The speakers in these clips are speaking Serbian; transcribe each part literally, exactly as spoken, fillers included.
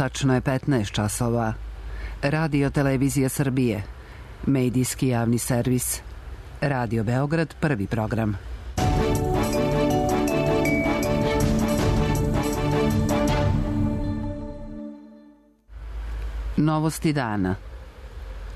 Tačno je petnaest časova. Radio Televizija Srbije. Medijski javni servis. Radio Beograd, prvi program. Novosti dana.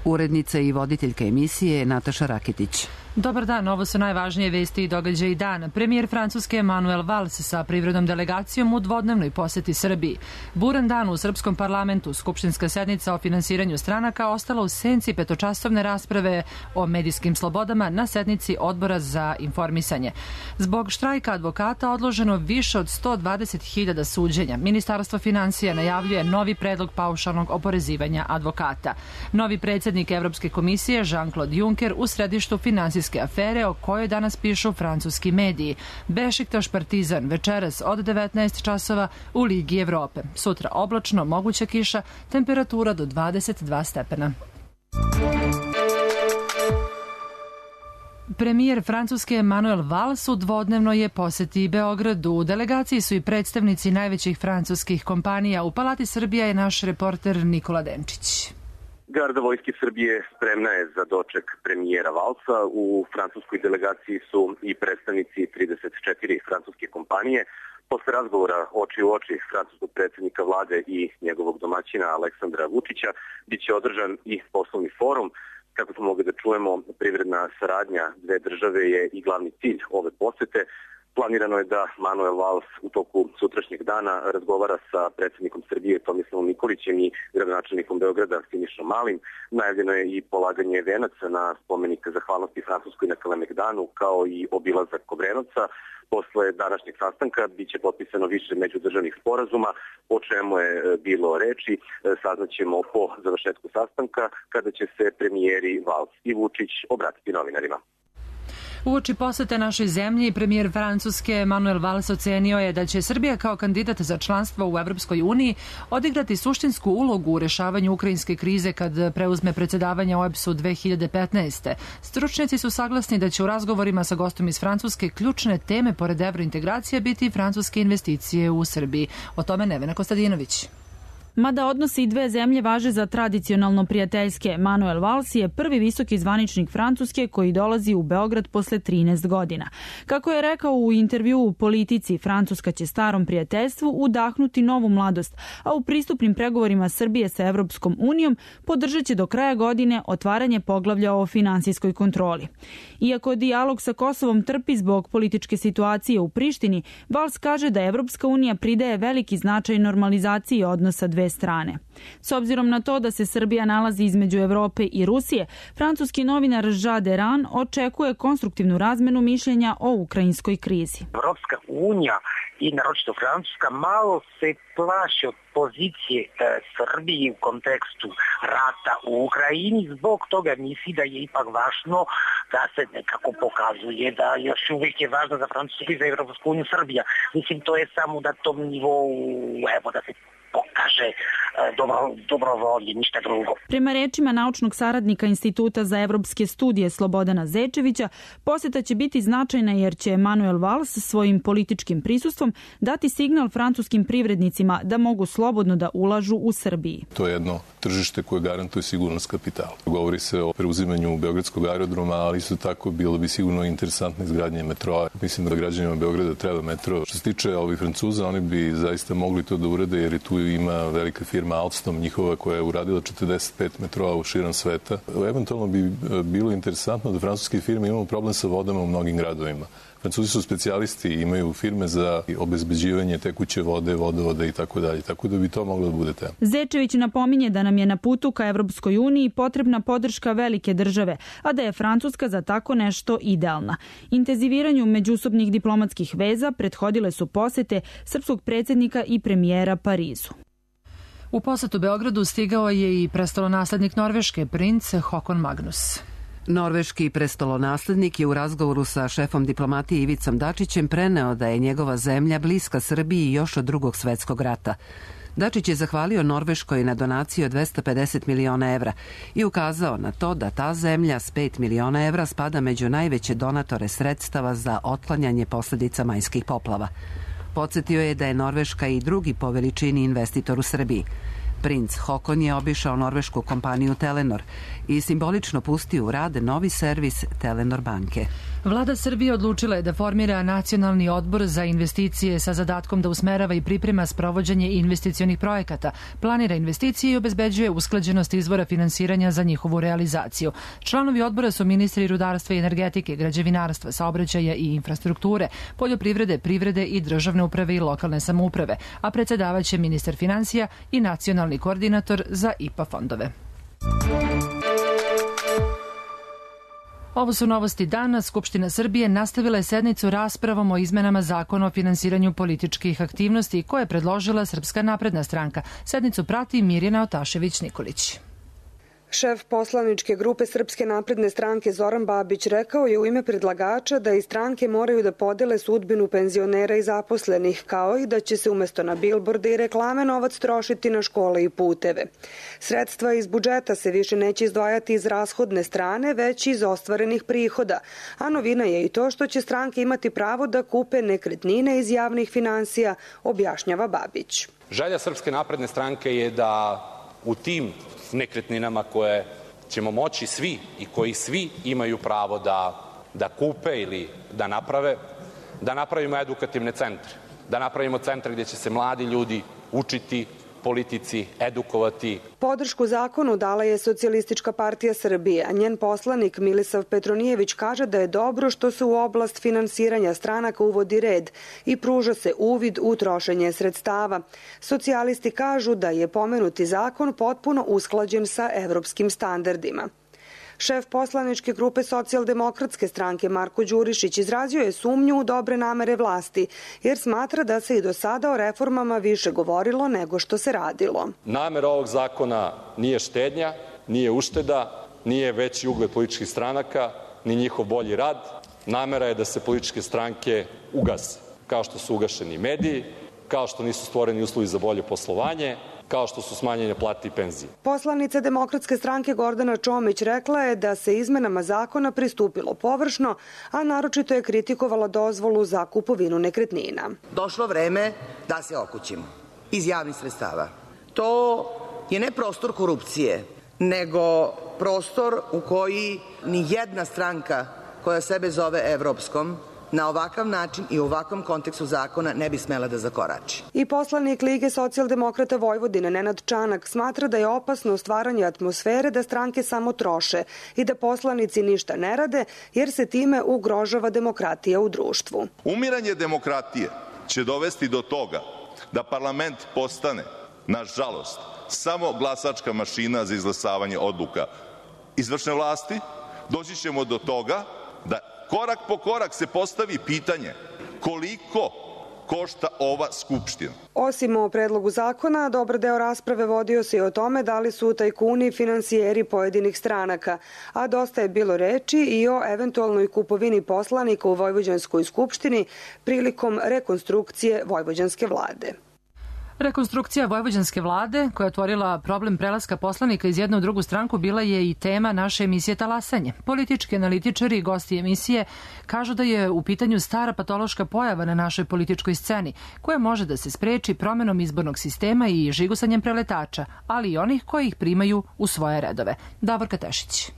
Urednica i voditeljka emisije Nataša Rakitić. Dobar dan, ovo su najvažnije vesti i događaji dana. Premijer Francuske Manuel Valls sa privrednom delegacijom u dvodnevnoj poseti Srbiji. Buran dan u srpskom parlamentu, skupštinska sednica o finansiranju stranaka ostala u senci petočasovne rasprave o medijskim slobodama na sednici Odbora za informisanje. Zbog štrajka advokata odloženo više od sto dvadeset hiljada suđenja. Ministarstvo finansija najavljuje novi predlog paušalnog oporezivanja advokata. Novi predsjednik Evropske komisije Jean-Claude Juncker u središtu finansijske afere o kojoj danas pišu francuski mediji. Bešiktaš Partizan večeras od devetnaest časova u Ligi Evrope. Sutra oblačno, moguća kiša, temperatura do dvadeset dva stepena. Premijer Francuske Manuel Valls u dvodnevnoj je poseti Beogradu. U delegaciji su i predstavnici najvećih francuskih kompanija. U Palati Srbija je naš reporter Nikola Denčić. Garda Vojske Srbije spremna je za doček premijera Valsa. U francuskoj delegaciji su i predstavnici trideset četiri francuske kompanije. Posle razgovora oči u oči francuskog predsjednika vlade i njegovog domaćina Aleksandra Vučića biće održan i poslovni forum. Kako smo mogli da čujemo, privredna saradnja dve države je i glavni cilj ove posete. Planirano je da Manuel Valls u toku sutrašnjeg dana razgovara sa predsjednikom Srbije Tomislavom Nikolićem i gradonačelnikom Beograda Sinišom Malim. Najavljeno je i polaganje venaca na spomenik zahvalnosti Francuskoj na Kalemegdanu, kao i obilazak Obrenovca. Posle današnjeg sastanka biće potpisano više međudržavnih sporazuma, o čemu je bilo reči. Saznaćemo po završetku sastanka, kada će se premijeri Valls i Vučić obratiti novinarima. Uoči posete našoj zemlji, premijer Francuske Manuel Valls ocenio je da će Srbija kao kandidat za članstvo u Evropskoj uniji odigrati suštinsku ulogu u rešavanju ukrajinske krize kad preuzme predsjedavanje O E B S-u dve hiljade petnaeste. Stručnjaci su saglasni da će u razgovorima sa gostom iz Francuske ključne teme pored evrointegracija biti francuske investicije u Srbiji. O tome Nevena Kostadinović. Mada odnosi dve zemlje važe za tradicionalno prijateljske, Manuel Valls je prvi visoki zvaničnik Francuske koji dolazi u Beograd posle trinaest godina. Kako je rekao u intervjuu u Politici, Francuska će starom prijateljstvu udahnuti novu mladost, a u pristupnim pregovorima Srbije sa Evropskom unijom podržat će do kraja godine otvaranje poglavlja o finansijskoj kontroli. Iako dijalog sa Kosovom trpi zbog političke situacije u Prištini, Valls kaže da Evropska unija pridaje veliki značaj normalizaciji odnosa dve strane. S obzirom na to da se Srbija nalazi između Evrope i Rusije, francuski novinar Jean Deran očekuje konstruktivnu razmenu mišljenja o ukrajinskoj krizi. Evropska unija i naročito Francuska malo se plaši od pozicije e, Srbije u kontekstu rata u Ukrajini, zbog toga misli da je ipak važno da se nekako pokazuje da još uvijek je važno za Francusku i za Evropsku uniju Srbija. Mislim, to je samo na tom nivou, evo, da se pokaže dobro, dobrovolje, ništa drugo. Prema rečima naučnog saradnika Instituta za evropske studije Slobodana Zečevića, posjeta će biti značajna jer će Manuel Valls svojim političkim prisustvom dati signal francuskim privrednicima da mogu slobodno da ulažu u Srbiji. To je jedno tržište koje garantuje sigurnost kapitala. Govori se o preuzimanju Beogradskog aerodroma, ali isto tako bilo bi sigurno interesantno izgradnje metroa. Mislim da građanima Beograda treba metro. Što se tiče ovih Francuza, oni bi zaista mogli to da urade jer je tu ima velika firma Alstom njihova koja je uradila četrdeset pet metroa u širom sveta. Eventualno bi bilo interesantno da francuske firme imaju problem sa vodama u mnogim gradovima. Francuzi su specijalisti, imaju firme za obezbeđivanje tekuće vode, vodovode i tako dalje. Tako da bi to moglo da bude tema. Zečević napominje da nam je na putu ka Evropskoj uniji potrebna podrška velike države, a da je Francuska za tako nešto idealna. Intenziviranju međusobnih diplomatskih veza prethodile su posete srpskog predsjednika i premijera Parizu. U posetu Beogradu stigao je i prestolonaslednik Norveške, princ Håkon Magnus. Norveški prestolonaslednik je u razgovoru sa šefom diplomatije Ivicom Dačićem preneo da je njegova zemlja bliska Srbiji još od drugog svetskog rata. Dačić je zahvalio Norveškoj na donaciju od dvesta pedeset miliona evra i ukazao na to da ta zemlja s pet miliona evra spada među najveće donatore sredstava za otklanjanje posljedica majskih poplava. Podsjetio je da je Norveška i drugi po veličini investitor u Srbiji. Princ Haakon je obišao norvešku kompaniju Telenor i simbolično pustio u rad novi servis Telenor banke. Vlada Srbije odlučila je da formira Nacionalni odbor za investicije sa zadatkom da usmerava i priprema sprovođenje investicionih projekata, planira investicije i obezbeđuje usklađenost izvora finansiranja za njihovu realizaciju. Članovi odbora su ministri rudarstva i energetike, građevinarstva, saobraćaja i infrastrukture, poljoprivrede, privrede i državne uprave i lokalne samouprave, a predsedavaće ministar finansija i nacionalni koordinator za I P A fondove. Ovo su novosti dana. Skupština Srbije nastavila je sednicu raspravom o izmenama zakona o finansiranju političkih aktivnosti koje je predložila Srpska napredna stranka. Sednicu prati Mirjana Otašević-Nikolić. Šef poslaničke grupe Srpske napredne stranke Zoran Babić rekao je u ime predlagača da i stranke moraju da podele sudbinu penzionera i zaposlenih, kao i da će se umesto na bilborde i reklame novac trošiti na škole i puteve. Sredstva iz budžeta se više neće izdvajati iz rashodne strane, već iz ostvarenih prihoda, a novina je i to što će stranke imati pravo da kupe nekretnine iz javnih finansija, objašnjava Babić. Želja Srpske napredne stranke je da u tim nekretninama koje ćemo moći svi i koji svi imaju pravo da, da kupe ili da naprave, da napravimo edukativne centre, da napravimo centre gdje će se mladi ljudi učiti politici, edukovati. Podršku zakonu dala je Socijalistička partija Srbije, a njen poslanik Milisav Petronijević kaže da je dobro što se u oblast finansiranja stranaka uvodi red i pruža se uvid u trošenje sredstava. Socijalisti kažu da je pomenuti zakon potpuno usklađen sa evropskim standardima. Šef poslaničke grupe Socijaldemokratske stranke Marko Đurišić izrazio je sumnju u dobre namere vlasti, jer smatra da se i do sada o reformama više govorilo nego što se radilo. Namera ovog zakona nije štednja, nije ušteda, nije veći ugled političkih stranaka, ni njihov bolji rad. Namera je da se političke stranke ugase, kao što su ugašeni mediji, kao što nisu stvoreni uslovi za bolje poslovanje, kao što su smanjene plate i penzije. Poslanica Demokratske stranke Gordana Čomić rekla je da se izmenama zakona pristupilo površno, a naročito je kritikovala dozvolu za kupovinu nekretnina. Došlo vreme da se okućimo iz javnih sredstava. To je ne prostor korupcije, nego prostor u koji ni jedna stranka koja sebe zove evropskom na ovakav način i u ovakvom kontekstu zakona ne bi smela da zakorači. I poslanik Lige socijaldemokrata Vojvodine Nenad Čanak smatra da je opasno stvaranje atmosfere da stranke samo troše i da poslanici ništa ne rade, jer se time ugrožava demokratija u društvu. Umiranje demokratije će dovesti do toga da parlament postane, nažalost, samo glasačka mašina za izglasavanje odluka izvršne vlasti. Doći ćemo do toga da korak po korak se postavi pitanje koliko košta ova Skupština. Osim o predlogu zakona, dobar deo rasprave vodio se i o tome da li su tajkuni finansijeri pojedinih stranaka, a dosta je bilo reči i o eventualnoj kupovini poslanika u Vojvođanskoj skupštini prilikom rekonstrukcije vojvođanske vlade. Rekonstrukcija vojvođanske vlade, koja je otvorila problem prelaska poslanika iz jednu u drugu stranku, bila je i tema naše emisije Talasanje. Politički analitičari i gosti emisije kažu da je u pitanju stara patološka pojava na našoj političkoj sceni, koja može da se spreči promenom izbornog sistema i žigusanjem preletača, ali i onih koji ih primaju u svoje redove. Davorka Tešić.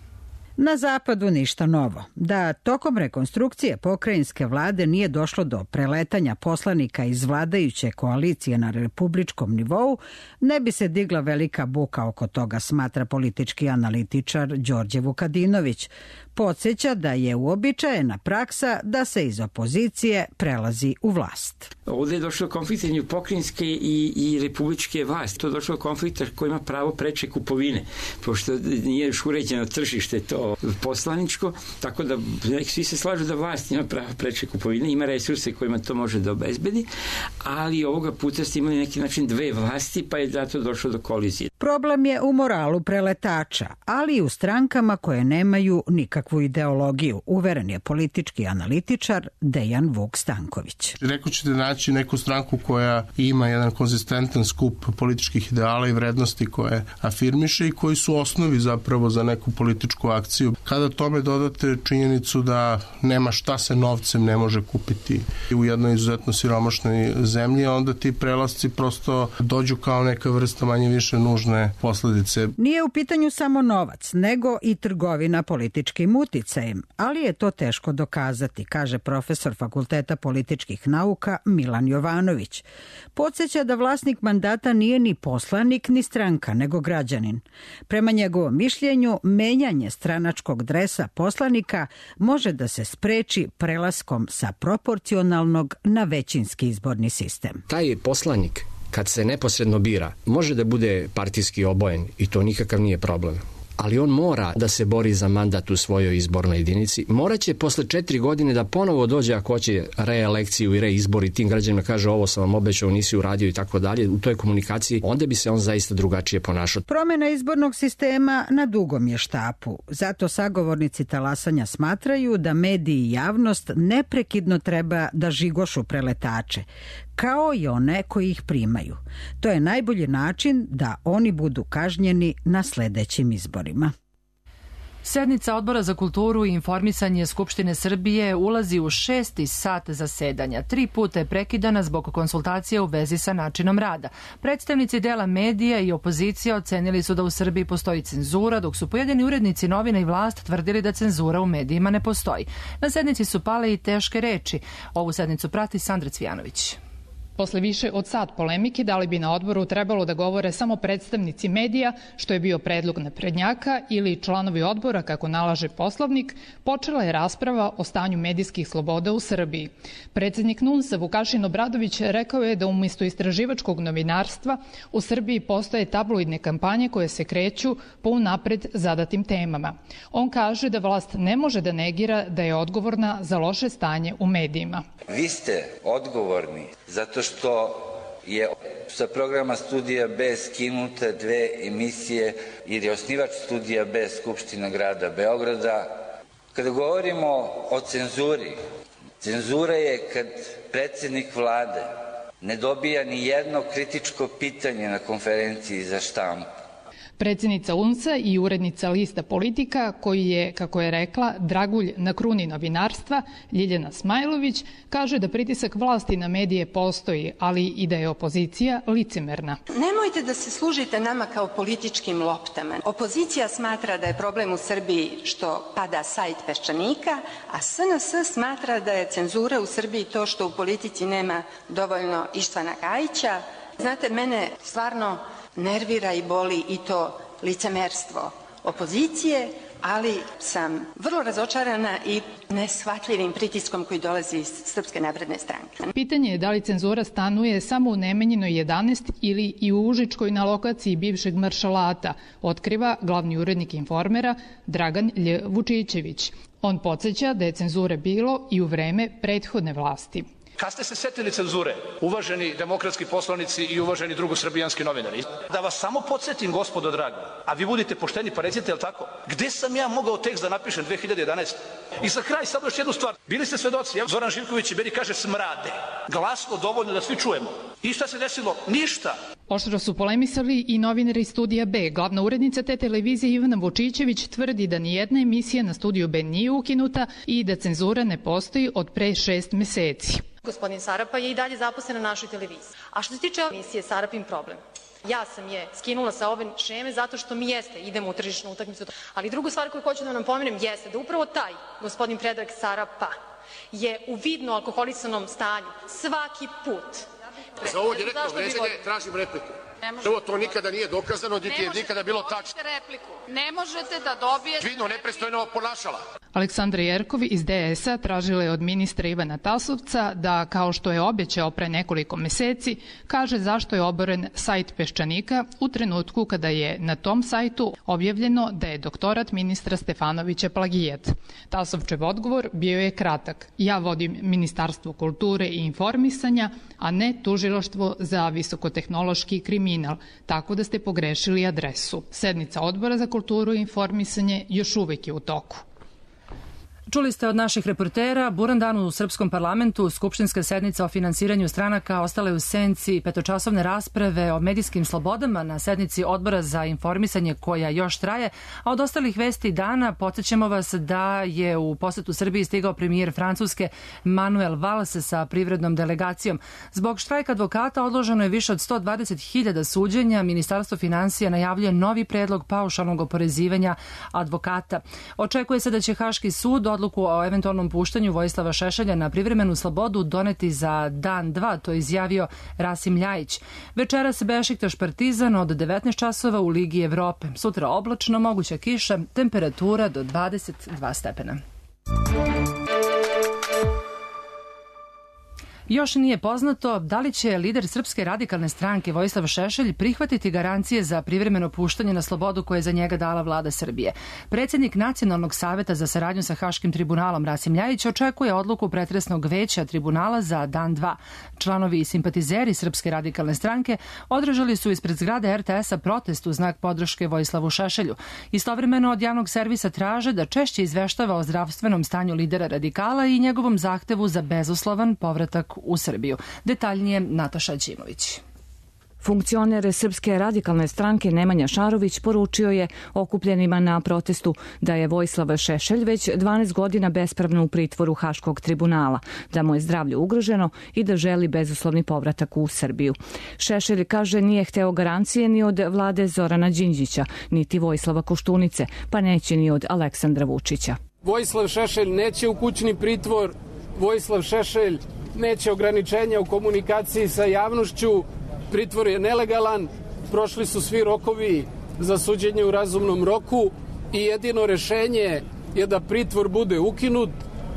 Na zapadu ništa novo. Da tokom rekonstrukcije pokrajinske vlade nije došlo do preletanja poslanika iz vladajuće koalicije na republičkom nivou, ne bi se digla velika buka oko toga, smatra politički analitičar Đorđe Vukadinović. Podsjeća da je uobičajena praksa da se iz opozicije prelazi u vlast. Ovdje je došlo konflikt između pokrajinske i, i republičke vlasti. To je došlo konflikt koji ima pravo preče kupovine, pošto nije još uređeno tržište to poslaničko, tako da svi se slažu da vlast ima pravo preče kupovine, ima resurse kojima to može da obezbedi, ali ovoga puta ste imali neki način dve vlasti, pa je zato došlo do kolizije. Problem je u moralu preletača, ali i u strankama koje nemaju nikakvu ideologiju, uveren je politički analitičar Dejan Vuk Stanković. Rekao ćete naći neku stranku koja ima jedan konzistentan skup političkih ideala i vrednosti koje afirmiše i koji su osnovi zapravo za neku političku akciju. Kada tome dodate činjenicu da nema šta se novcem ne može kupiti u jednoj izuzetno siromašnoj zemlji, onda ti prelasci prosto dođu kao neka vrsta manje više nužne snažne posledice. Nije u pitanju samo novac, nego i trgovina političkim uticajem, ali je to teško dokazati, kaže profesor Fakulteta političkih nauka Milan Jovanović. Podsjeća da vlasnik mandata nije ni poslanik ni stranka, nego građanin. Prema njegovom mišljenju, menjanje stranačkog dresa poslanika može da se spreči prelaskom sa proporcionalnog na većinski izborni sistem. Taj poslanik, kad se neposredno bira, može da bude partijski obojen i to nikakav nije problem. Ali on mora da se bori za mandat u svojoj izbornoj jedinici. Moraće posle četiri godine da ponovo dođe ako hoće reelekciju i reizbor i tim građanima kaže ovo sam vam obećao, nisi uradio i tako dalje. U toj komunikaciji onda bi se on zaista drugačije ponašao. Promjena izbornog sistema na dugom je štapu. Zato sagovornici talasanja smatraju da mediji i javnost neprekidno treba da žigošu preletače, kao i one koji ih primaju. To je najbolji način da oni budu kažnjeni na sledećim izborima. Sednica Odbora za kulturu i informisanje Skupštine Srbije ulazi u šesti sat zasedanja. Tri puta je prekidana zbog konsultacija u vezi sa načinom rada. Predstavnici dela medija i opozicija ocenili su da u Srbiji postoji cenzura, dok su pojedini urednici novina i vlast tvrdili da cenzura u medijima ne postoji. Na sednici su pale i teške reči. Ovu sednicu prati Sandra Cvijanović. Posle više od sat polemike, da li bi na odboru trebalo da govore samo predstavnici medija, što je bio predlog naprednjaka, ili članovi odbora, kako nalaže Poslovnik, počela je rasprava o stanju medijskih sloboda u Srbiji. Predsednik N U N S-a Vukašin Obradović rekao je da umjesto istraživačkog novinarstva u Srbiji postoje tabloidne kampanje koje se kreću po unapred zadatim temama. On kaže da vlast ne može da negira da je odgovorna za loše stanje u medijima. Vi ste odgovorni zato što je sa programa Studija B skinuta dve emisije jer je osnivač Studija B Skupština grada Beograda. Kada govorimo o cenzuri, cenzura je kad predsednik vlade ne dobija ni jedno kritičko pitanje na konferenciji za štampu. Predsjednica U N S-a i urednica lista Politika, koji je, kako je rekla, dragulj na kruni novinarstva, Ljiljana Smajlović, kaže da pritisak vlasti na medije postoji, ali i da je opozicija licemerna. Nemojte da se služite nama kao političkim loptama. Opozicija smatra da je problem u Srbiji što pada sajt Peščanika, a S N S smatra da je cenzura u Srbiji to što u politici nema dovoljno Ištvana Gajića. Znate, mene stvarno nervira i boli i to licemerstvo opozicije, ali sam vrlo razočarana i neshvatljivim pritiskom koji dolazi iz Srpske napredne stranke. Pitanje je da li cenzura stanuje samo u Nemanjinoj jedanaest ili i u Užičkoj na lokaciji bivšeg maršalata, otkriva glavni urednik Informera Dragan Lj. Vučićević. On podsjeća da je cenzure bilo i u vreme prethodne vlasti. Kad ste se setili cenzure, uvaženi demokratski poslanici i uvaženi drugosrbijanski novinari, da vas samo podsjetim, gospodo drago, a vi budite pošteni pa recite, jel tako, gde sam ja mogao tekst da napišem dve hiljade jedanaeste. I za kraj samo još jednu stvar, bili ste svedoci, ja, Zoran Živković i meni kaže smrade, glasno dovoljno da svi čujemo. I šta se desilo? Ništa. Oštro su polemisali i novinari Studija B. Glavna urednica te televizije Ivana Vučićević tvrdi da nijedna emisija na Studiju B nije ukinuta i da cenzura ne postoji od pre šest meseci. Gospodin Sarapa je i dalje zaposlen na našoj televiziji. A što se tiče emisije Sarapin problem, ja sam je skinula sa ove šeme zato što mi jeste, idemo u tržišnu utakmicu. Ali drugu stvar koju hoću da vam pomenem jeste da upravo taj gospodin Predrag Sarapa je u vidno alkoholisanom stanju svaki put. Za ovo direktno vređanje tražim repliku. Prvo, to nikada nije dokazano, niti je nikada bilo tačno. Ne možete da dobijete... Vidno nepristojno ponašala. Aleksandra Jerkov iz D S-a tražila je od ministra Ivana Tasovca da, kao što je obećao pre nekoliko meseci, kaže zašto je oboren sajt Peščanika u trenutku kada je na tom sajtu objavljeno da je doktorat ministra Stefanovića plagijat. Tasovčev odgovor bio je kratak. Ja vodim Ministarstvo kulture i informisanja, a ne Tužilaštvo za visokotehnološki kriminal, tako da ste pogrešili adresu. Sednica Odbora za kulturu i informisanje još uvek je u toku. Čuli ste od naših reportera, buran dan u srpskom parlamentu, skupštinska sednica o finansiranju stranaka ostala je u senci petočasovne rasprave o medijskim slobodama na sednici Odbora za informisanje koja još traje, a od ostalih vesti dana podsjećamo vas da je u posetu Srbiji stigao premijer Francuske Manuel Valls sa privrednom delegacijom. Zbog štrajka advokata odloženo je više od sto dvadeset hiljada suđenja. Ministarstvo finansija najavljuje novi predlog paušalnog oporezivanja advokata. Očekuje se da će Haški sud odluku o eventualnom puštanju Vojislava Šešelja na privremenu slobodu doneti za dan dva, to je izjavio Rasim Ljajić. Večeras Bešiktaš Partizan od devetnaest časova u Ligi Evrope. Sutra oblačno, moguća kiša, temperatura do dvadeset dva stepena. Još nije poznato da li će lider Srpske radikalne stranke Vojislav Šešelj prihvatiti garancije za privremeno puštanje na slobodu koje je za njega dala vlada Srbije. Predsjednik Nacionalnog saveta za saradnju sa Haškim tribunalom Rasim Ljajić očekuje odluku pretresnog veća tribunala za dan dva. Članovi i simpatizeri Srpske radikalne stranke održali su ispred zgrade er te es-a protest u znak podrške Vojislavu Šešelju. Istovremeno od javnog servisa traže da češće izveštava o zdravstvenom stanju lidera radikala i njegovom zahtevu za bezuslovan povratak u Srbiju. Detaljnije Nataša Đimović. Funkcioner Srpske radikalne stranke Nemanja Šarović poručio je okupljenima na protestu da je Vojislav Šešelj već dvanaest godina bespravno u pritvoru Haškog tribunala, da mu je zdravlje ugroženo i da želi bezuslovni povratak u Srbiju. Šešelj, kaže, nije hteo garancije ni od vlade Zorana Đinđića, niti Vojislava Koštunice, pa neće ni od Aleksandra Vučića. Vojislav Šešelj neće u kućni pritvor, Vojislav Šešelj neće ograničenja u komunikaciji sa javnošću, pritvor je nelegalan, prošli su svi rokovi za suđenje u razumnom roku i jedino rešenje je da pritvor bude ukinut,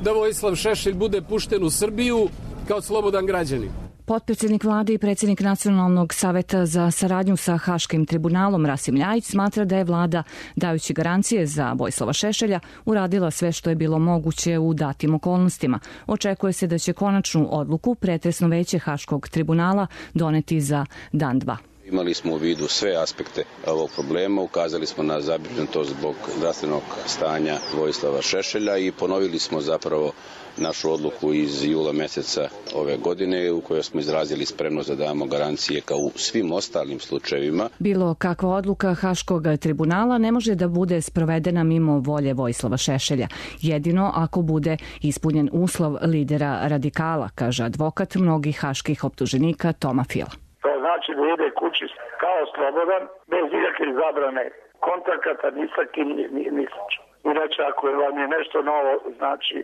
da Vojislav Šešelj bude pušten u Srbiju kao slobodan građanin. Potpredsjednik vlade i predsjednik Nacionalnog saveta za saradnju sa Haškim tribunalom Rasim Ljajić smatra da je vlada, dajući garancije za Vojislava Šešelja, uradila sve što je bilo moguće u datim okolnostima. Očekuje se da će konačnu odluku pretresno veće Haškog tribunala doneti za dan dva. Imali smo u vidu sve aspekte ovog problema, ukazali smo na zabrinutost zbog zdravstvenog stanja Vojislava Šešelja i ponovili smo zapravo našu odluku iz jula meseca ove godine u kojoj smo izrazili spremnost da damo garancije kao u svim ostalim slučajevima. Bilo kakva odluka Haškog tribunala ne može da bude sprovedena mimo volje Vojislava Šešelja. Jedino ako bude ispunjen uslov lidera radikala, kaže advokat mnogih haških optuženika Toma Fila. To znači da ide kući kao slobodan, bez ikakve zabrane kontakata, ni sa kim, ni, ni sa čim. Inače, ako vam je nešto novo, znači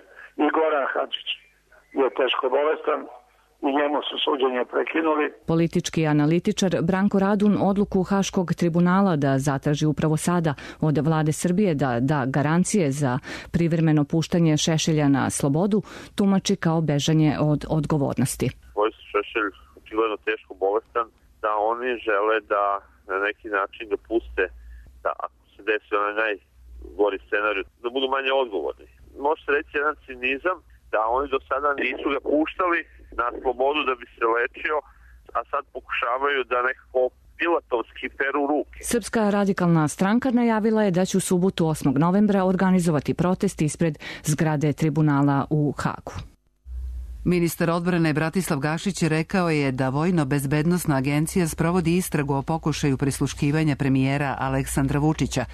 i Goran Hadžić je teško bolestan i njemu su suđenje prekinuli. Politički analitičar Branko Radun odluku Haškog tribunala da zatraži upravo sada od vlade Srbije da da garancije za privremeno puštanje Šešelja na slobodu tumači kao bežanje od odgovornosti. Vojislav Šešelj očigledno teško bolestan, da oni žele da na neki način dopuste da ako se desi onaj najgori scenarij, da budu manje odgovorni. Može se reći jedan cinizam da oni do sada nisu ga puštali na slobodu da bi se lečio, a sad pokušavaju da nekako pilatovski peru ruke. Srpska radikalna stranka najavila je da će u subotu osmog novembra organizovati protest ispred zgrade tribunala u Hagu. Ministar odbrane Bratislav Gašić rekao je da Vojno-bezbednosna agencija sprovodi istragu o pokušaju prisluškivanja premijera Aleksandra Vučića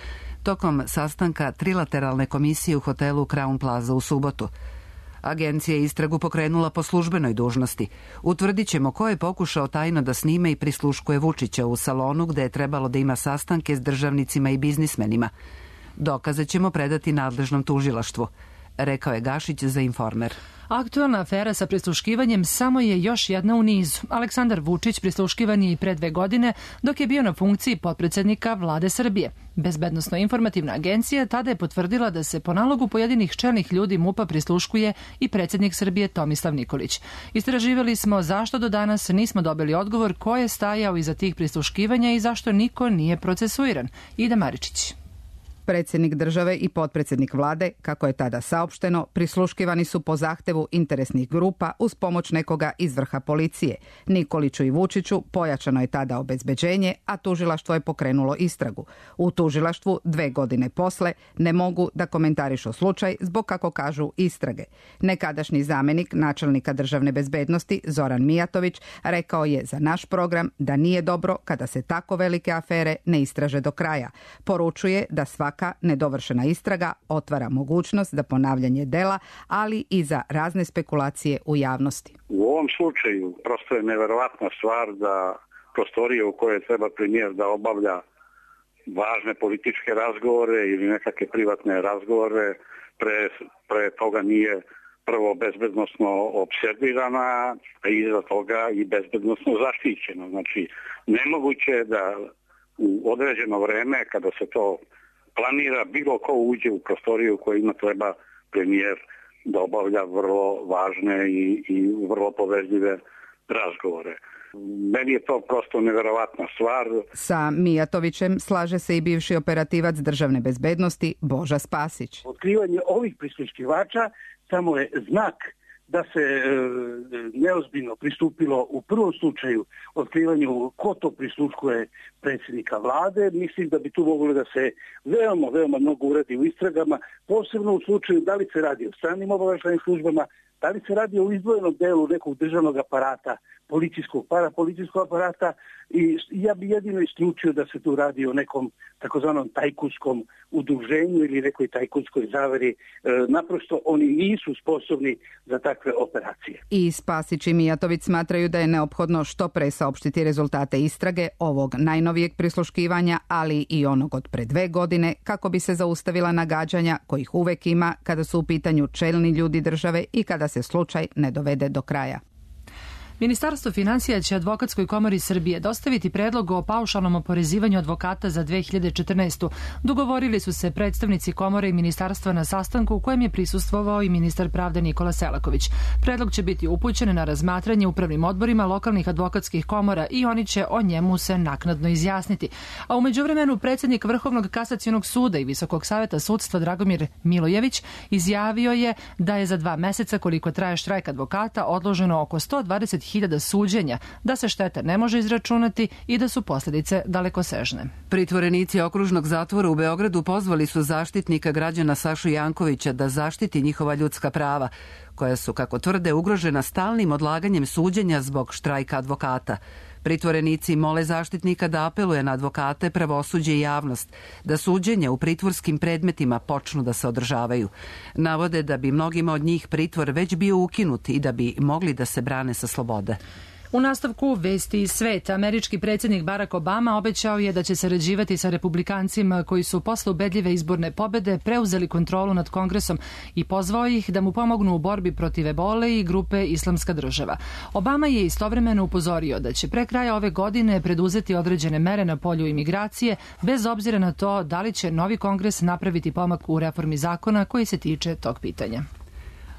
tokom sastanka trilateralne komisije u hotelu Crown Plaza u subotu. Agencija je istragu pokrenula po službenoj dužnosti. Utvrdit ćemo ko je pokušao tajno da snime i prisluškuje Vučića u salonu gde je trebalo da ima sastanke s državnicima i biznismenima. Dokaze ćemo predati nadležnom tužilaštvu, rekao je Gašić za Informer. Aktualna afera sa prisluškivanjem samo je još jedna u nizu. Aleksandar Vučić prisluškivan je i pre dve godine dok je bio na funkciji potpredsjednika vlade Srbije. Bezbednosno-informativna agencija tada je potvrdila da se po nalogu pojedinih čelnih ljudi MUP-a prisluškuje i predsjednik Srbije Tomislav Nikolić. Istraživali smo zašto do danas nismo dobili odgovor ko je stajao iza tih prisluškivanja i zašto niko nije procesuiran. Ida Maričić. Predsjednik države i potpredsjednik vlade, kako je tada saopšteno, prisluškivani su po zahtevu interesnih grupa uz pomoć nekoga iz vrha policije. Nikoliću i Vučiću pojačano je tada obezbeđenje, a tužilaštvo je pokrenulo istragu. U tužilaštvu dve godine posle ne mogu da komentarišu slučaj zbog, kako kažu, istrage. Nekadašnji zamenik načelnika državne bezbednosti Zoran Mijatović rekao je za naš program da nije dobro kada se tako velike afere ne istraže do kraja. Poručuje da svaka nedovršena istraga otvara mogućnost za ponavljanje dela, ali i za razne spekulacije u javnosti. U ovom slučaju prosto je neverovatna stvar da prostorije u kojoj treba premijer da obavlja važne političke razgovore ili nekakve privatne razgovore pre, pre toga nije prvo bezbednosno observirana, a iza toga i bezbednosno zaštićena. Znači, nemoguće je da u određeno vreme, kada se to planira, bilo ko uđe u prostoriju u kojima treba premijer da obavlja vrlo važne i, i vrlo povezljive razgovore. Meni je to prosto neverovatna stvar. Sa Mijatovićem slaže se i bivši operativac državne bezbednosti Boža Spasić. Otkrivanje ovih prisluškivača samo je znak da se e, neozbiljno pristupilo u prvom slučaju otkrivanju ko to prisluškuje predsjednika vlade. Mislim da bi tu moglo da se veoma, veoma mnogo uradi u istragama, posebno u slučaju da li se radi o stranim obaveštajnim službama, da li se radi o izdvojenom delu nekog državnog aparata, policijskog, parapolicijskog aparata, i ja bi jedino isključio da se tu radi o nekom takozvanom tajkunskom udruženju ili nekoj tajkunskoj zaveri. E, naprosto oni nisu sposobni za takve operacije. I Spasić i Mijatović smatraju da je neophodno što pre saopštiti rezultate istrage ovog najnovijeg prisluškivanja, ali i onog od pre dve godine, kako bi se zaustavila nagađanja kojih uvek ima kada su u pitanju čelni ljudi države i kada se slučaj ne dovede do kraja. Ministarstvo finansija će Advokatskoj komori Srbije dostaviti predlog o paušalnom oporezivanju advokata za dve hiljade četrnaestu. Dogovorili su se predstavnici komore i ministarstva na sastanku u kojem je prisustvovao i ministar pravde Nikola Selaković. Predlog će biti upućen na razmatranje upravnim odborima lokalnih advokatskih komora i oni će o njemu se naknadno izjasniti. A u međuvremenu predsjednik Vrhovnog kasacionog suda i Visokog saveta sudstva Dragomir Milojević izjavio je da je za dva meseca, koliko traje štrajk advokata, odloženo oko sto dvadeset hiljada suđenja, da se šteta ne može izračunati i da su posljedice dalekosežne. Pritvorenici okružnog zatvora u Beogradu pozvali su zaštitnika građana Sašu Jankovića da zaštiti njihova ljudska prava, koja su, kako tvrde, ugrožena stalnim odlaganjem suđenja zbog štrajka advokata. Pritvorenici mole zaštitnika da apeluje na advokate, pravosuđe i javnost, da suđenja u pritvorskim predmetima počnu da se održavaju. Navode da bi mnogima od njih pritvor već bio ukinut i da bi mogli da se brane sa slobode. U nastavku vesti iz sveta, američki predsjednik Barack Obama obećao je da će sarađivati sa republikancima koji su posle ubedljive izborne pobede preuzeli kontrolu nad Kongresom i pozvao ih da mu pomognu u borbi protiv ebole i grupe Islamska država. Obama je istovremeno upozorio da će pre kraja ove godine preduzeti određene mere na polju imigracije, bez obzira na to da li će novi Kongres napraviti pomak u reformi zakona koji se tiče tog pitanja.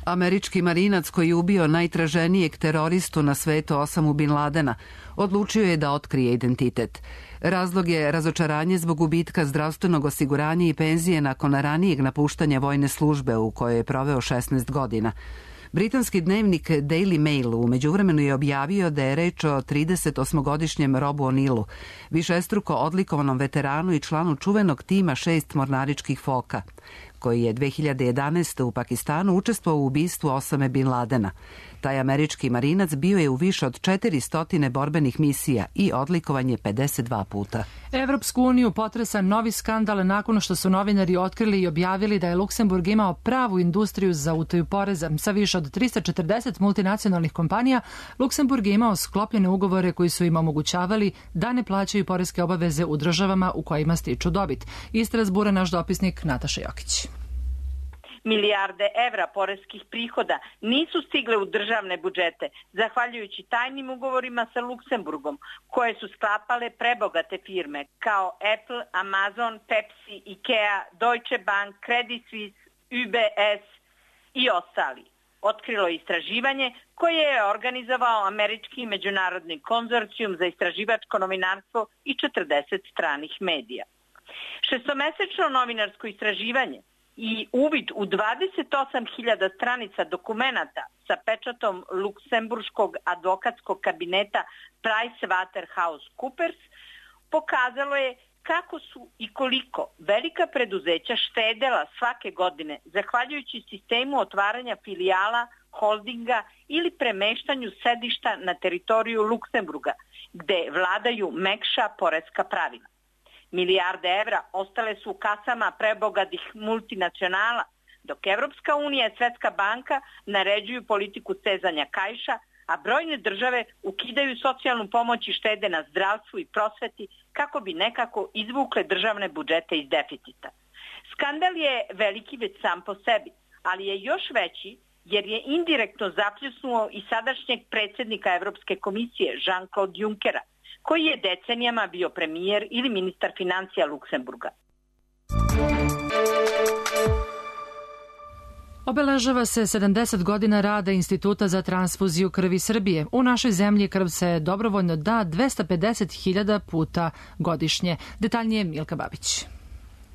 Američki marinac koji je ubio najtraženijeg teroristu na svetu Osamu Bin Ladena odlučio je da otkrije identitet. Razlog je razočaranje zbog gubitka zdravstvenog osiguranja i penzije nakon ranijeg napuštanja vojne službe u kojoj je proveo šesnaest godina. Britanski dnevnik Daily Mail u međuvremenu je objavio da je reč o tridesetosmogodišnjem Robu O'Neillu, višestruko odlikovanom veteranu i članu čuvenog tima šest mornaričkih foka, koji je dve hiljade jedanaeste. u Pakistanu učestvovao u ubistvu Osame Bin Ladena. Taj američki marinac bio je u više od četiristo borbenih misija i odlikovan je pedeset dva puta. Evropsku uniju potresa novi skandal nakon što su novinari otkrili i objavili da je Luksemburg imao pravu industriju za utaju poreza. Sa više od trista četrdeset multinacionalnih kompanija, Luksemburg je imao sklopljene ugovore koji su im omogućavali da ne plaćaju poreske obaveze u državama u kojima stiču dobit. Iz Strasbura naš dopisnik Nataša Jokić. Milijarde evra poreskih prihoda nisu stigle u državne budžete, zahvaljujući tajnim ugovorima sa Luksemburgom, koje su sklapale prebogate firme kao Apple, Amazon, Pepsi, Ikea, Deutsche Bank, Credit Suisse, U B S i ostali. Otkrilo je istraživanje koje je organizovao američki međunarodni konzorcijum za istraživačko novinarstvo i četrdeset stranih medija. Šestomesečno novinarsko istraživanje i uvid u dvadeset osam hiljada stranica dokumenata sa pečatom luksemburškog advokatskog kabineta PricewaterhouseCoopers pokazalo je kako su i koliko velika preduzeća štedela svake godine zahvaljujući sistemu otvaranja filijala, holdinga ili premeštanju sedišta na teritoriju Luksemburga, gde vladaju mekša poreska pravila. Milijarde evra ostale su u kasama prebogatih multinacionala, dok Evropska unija i Svetska banka naređuju politiku stezanja kaiša, a brojne države ukidaju socijalnu pomoć i štede na zdravstvu i prosveti kako bi nekako izvukle državne budžete iz deficita. Skandal je veliki već sam po sebi, ali je još veći jer je indirektno zapljusnuo i sadašnjeg predsjednika Evropske komisije Jean-Claude Junckera, koji je decenijama bio premijer ili ministar financija Luksemburga. Obeležava se sedamdeset godina rada Instituta za transfuziju krvi Srbije. U našoj zemlji krv se dobrovoljno da dvesta pedeset hiljada puta godišnje. Detaljnije Milka Babić.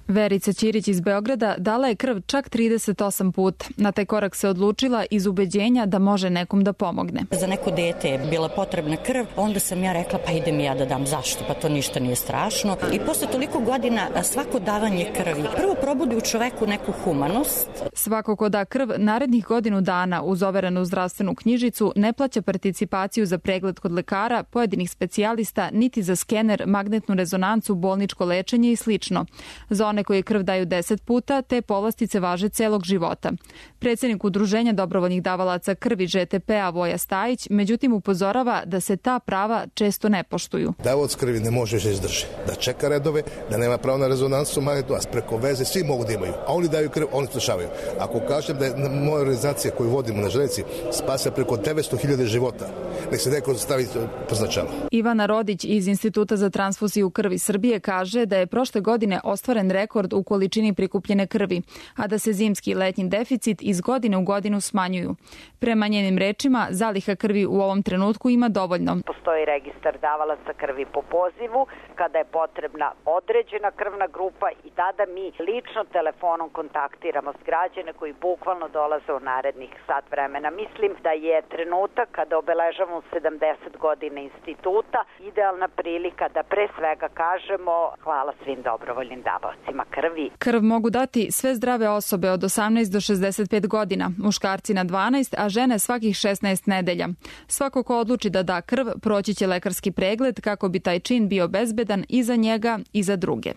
Verica Ćirić iz Beograda dala je krv čak trideset osam puta. Na taj korak se odlučila iz ubeđenja da može nekom da pomogne. Za neko dete je bila potrebna krv, onda sam ja rekla pa idem ja da dam. Zašto? Pa to ništa nije strašno. I posle toliko godina svako davanje krvi prvo probudi u čoveku neku humanost. Svako ko da krv narednih godinu dana uz overenu zdravstvenu knjižicu ne plaća participaciju za pregled kod lekara, pojedinih specijalista, niti za skener, magnetnu rezonancu, bolničko lečenje i slično. Za one koje krv daju deset puta, te povlastice važe celog života. Predsjednik Udruženja dobrovoljnih davalaca krvi Ž T P-a Voja Stajić, međutim upozorava da se ta prava često ne poštuju. Davalac krvi ne može se izdrži, da čeka redove, da nema pravo na rezonansu magnetnu, a preko veze svi mogu da imaju, a oni daju krv, oni spašavaju. Ako kažem da je moja organizacija koju vodimo na železnici spasa preko devetsto hiljada života, nek se neko stavi poznačalo. Ivana Rodić iz Instituta za transfuziju krvi Srbije kaže da je prošle godine ostvaren rekord u količini prikupljene krvi, a da se zimski i letnji deficit iz godine u godinu smanjuju. Prema njenim rečima, zaliha krvi u ovom trenutku ima dovoljno. Postoji registar davalaca krvi po pozivu, kada je potrebna određena krvna grupa i tada mi lično telefonom kontaktiramo s građane koji bukvalno dolaze u narednih sat vremena. Mislim da je trenutak kada obeležavamo sedamdeset godina instituta idealna prilika da pre svega kažemo hvala svim dobrovoljnim davaocima krvi. Krv mogu dati sve zdrave osobe od osamnaest do šezdeset pet godina, muškarci na dvanaest, a žene svakih šesnaest nedelja. Svako ko odluči da da krv, proći će lekarski pregled kako bi taj čin bio bezbedan i za njega i za druge.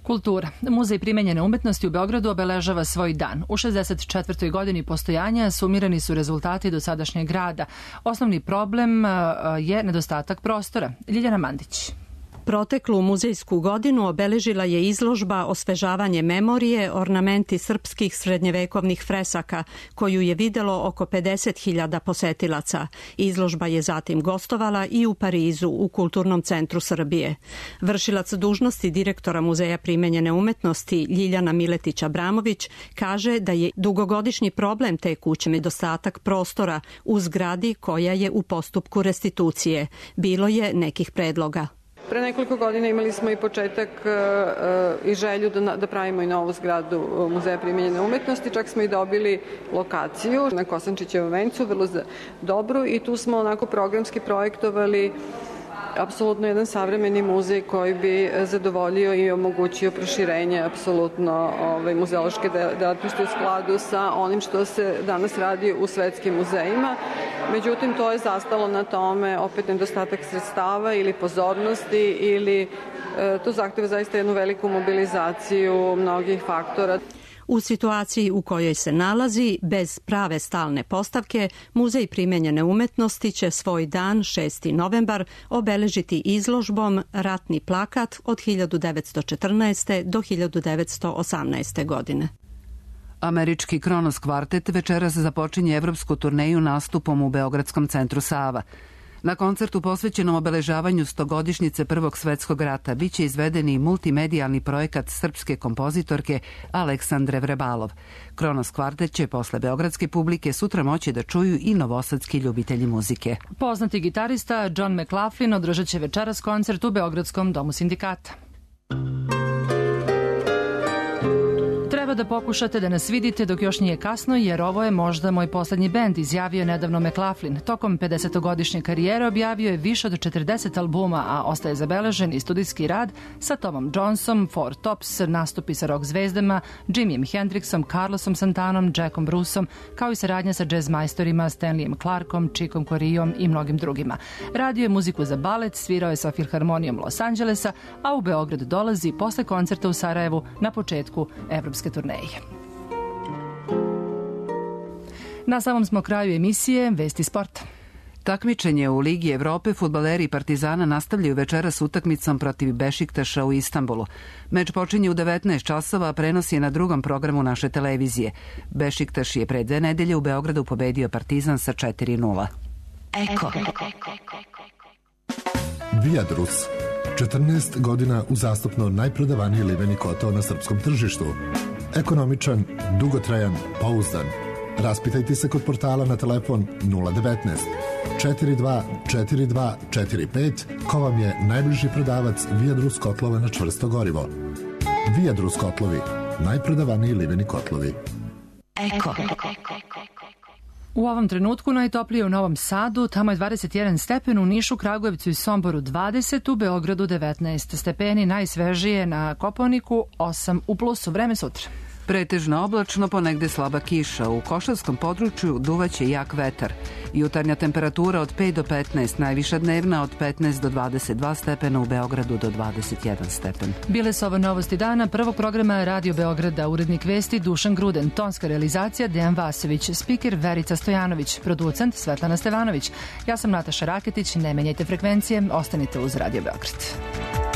Kultura. Muzej primenjene umetnosti u Beogradu obeležava svoj dan. U šezdeset četvrtoj godini postojanja sumirani su rezultati dosadašnjeg rada. Osnovni problem je nedostatak prostora. Ljiljana Mandić. Proteklu muzejsku godinu obeležila je izložba Osvežavanje memorije, ornamenti srpskih srednjevekovnih fresaka, koju je videlo oko pedeset hiljada posetilaca. Izložba je zatim gostovala i u Parizu, u Kulturnom centru Srbije. Vršilac dužnosti direktora Muzeja primenjene umetnosti Ljiljana Miletić-Abramović kaže da je dugogodišnji problem te kuće nedostatak prostora u zgradi koja je u postupku restitucije. Bilo je nekih predloga. Pre nekoliko godina imali smo i početak uh, i želju da, da pravimo i novu zgradu Muzeja primenjene umetnosti, čak smo i dobili lokaciju na Kosančićevom vencu, vrlo dobru, i tu smo onako programski projektovali apsolutno jedan savremeni muzej koji bi zadovoljio i omogućio proširenje apsolutno ovaj, muzeološke delatnosti u skladu sa onim što se danas radi u svetskim muzejima. Međutim, to je zastalo na tome opet nedostatak sredstava ili pozornosti ili e, to zahteva zaista jednu veliku mobilizaciju mnogih faktora. U situaciji u kojoj se nalazi, bez prave stalne postavke, Muzej primenjene umetnosti će svoj dan, šesti novembar, obeležiti izložbom Ratni plakat od hiljadu devetsto četrnaeste. do hiljadu devetsto osamnaeste. godine. Američki Kronos kvartet večeras započinje evropsku turneju nastupom u Beogradskom centru Sava. Na koncertu posvećenom obeležavanju stogodišnjice Prvog svetskog rata biće izveden i multimedijalni projekat srpske kompozitorke Aleksandre Vrebalov. Kronos kvartet će posle beogradske publike sutra moći da čuju i novosadski ljubitelji muzike. Poznati gitarista John McLaughlin održat će večeras koncert u Beogradskom domu sindikata. Dobro da pokušate da nas vidite dok još nije kasno, jer ovo je možda moj poslednji bend, izjavio je nedavno McLaughlin. Tokom pedesetogodišnje karijere objavio je više od četrdeset albuma, a ostaje zabeležen i studijski rad sa Tomom Jonesom, Four Tops, nastupi sa rock zvezdama, Jimijem Hendrixom, Carlosom Santanom, Jackom Bruceom, kao i saradnja sa jazz majstorima Stanleyem Clarkom, Chickom Coreaom i mnogim drugima. Radio je muziku za balet, svirao je sa Filharmonijom Los Angelesa, a u Beograd dolazi posle koncerta u Sarajevu na početku evropske turneje. Na samom smo kraju emisije Vesti sporta. Takmičenje u Ligi Evrope fudbaleri Partizana nastavljaju večeras utakmicom protiv Bešiktaša u Istanbulu. Meč počinje u devetnaest časova, a prenos je na drugom programu naše televizije. Bešiktaš je pre dve nedelje u Beogradu pobedio Partizan sa četiri nula. Eko. Viadrus. četrnaest godina uzastopno najprodavaniji liveni kotao na srpskom tržištu. Ekonomičan, dugotrajan, pouzdan. Raspitajte se kod portala na telefon nula devetnaest četiri dva četiri dva četiri pet ko vam je najbliži prodavac Viadrus kotlova na čvrsto gorivo. Viadrus kotlovi, najprodavaniji liveni kotlovi. Eko. U ovom trenutku najtoplije u Novom Sadu, tamo je dvadeset jedan stepen, u Nišu, Kragujevcu i Somboru dvadeset, u Beogradu devetnaest stepeni, najsvežije na Kopaoniku osam u plusu. Vreme sutra. Pretežno oblačno, ponegde slaba kiša. U Košavskom području duvaće jak vetar. Jutarnja temperatura od pet do petnaest, najviša dnevna od petnaest do dvadeset dva stepena, u Beogradu do dvadeset jedan stepen. Bile su ovo novosti dana prvog programa Radio Beograda, urednik vesti Dušan Gruden, tonska realizacija Dejan Vasović, spiker Verica Stojanović, producent Svetlana Stevanović. Ja sam Nataša Raketić, ne menjajte frekvencije, ostanite uz Radio Beograd.